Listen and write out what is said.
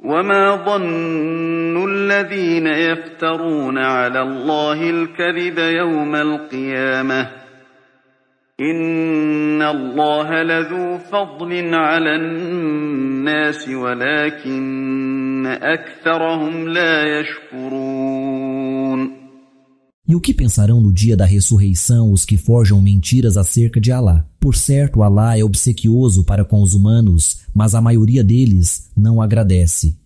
وما ظن الذين يفترون على الله الكذب يوم القيامة إن الله لذو فضل على الناس ولكن أكثرهم لا يشكرون. E o que pensarão no dia da ressurreição os que forjam mentiras acerca de Alá? Por certo, Alá é obsequioso para com os humanos, mas a maioria deles não agradece.